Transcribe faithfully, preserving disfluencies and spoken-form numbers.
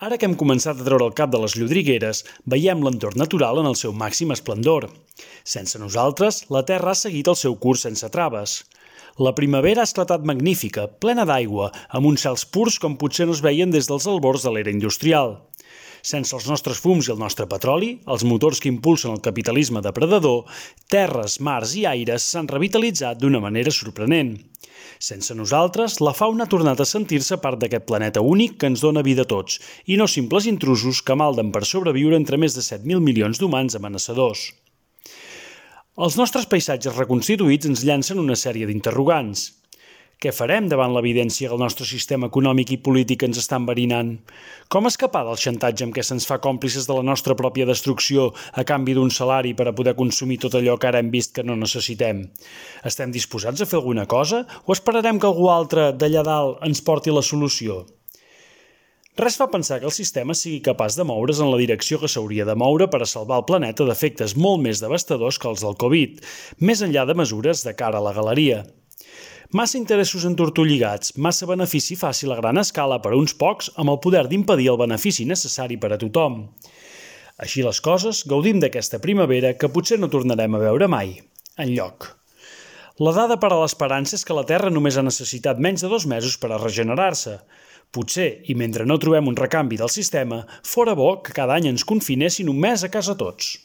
Ara que hem començat a treure el cap de les llodrigueres, veiem l'entorn natural en el seu màxim esplendor. Sense nosaltres, la Terra ha seguit el seu curs sense traves. La primavera ha esclatat magnífica, plena d'aigua, amb uns cels purs com potser no es veien des dels albors de l'era industrial. Sense els nostres fums i el nostre petroli, els motors que impulsen el capitalisme depredador, terres, mars i aires s'han revitalitzat d'una manera sorprenent. Sense nosaltres, la fauna ha tornat a sentir-se part d'aquest planeta únic que ens dona vida a tots, i no simples intrusos que malden per sobreviure entre més de set mil milions d'humans amenaçadors. Els nostres paisatges reconstituïts ens llancen una sèrie d'interrogants. Què farem davant l'evidència que el nostre sistema econòmic i polític ens està enverinant? Com escapar del xantatge amb què se'ns fa còmplices de la nostra pròpia destrucció a canvi d'un salari per a poder consumir tot allò que ara hem vist que no necessitem? Estem disposats a fer alguna cosa o esperarem que algú altre d'allà dalt ens porti la solució? Res fa pensar que el sistema sigui capaç de moure's en la direcció que s'hauria de moure per a salvar el planeta d'efectes molt més devastadors que els del Covid, més enllà de mesures de cara a la galeria. Massa interessos entortolligats, massa benefici fàcil a gran escala per a uns pocs amb el poder d'impedir el benefici necessari per a tothom. Així les coses, gaudim d'aquesta primavera que potser no tornarem a veure mai, enlloc. La dada per a l'esperança és que la Terra només ha necessitat menys de dos mesos per a regenerar-se. Potser, i mentre no trobem un recanvi del sistema, fora bo que cada any ens confinessin un mes a casa tots.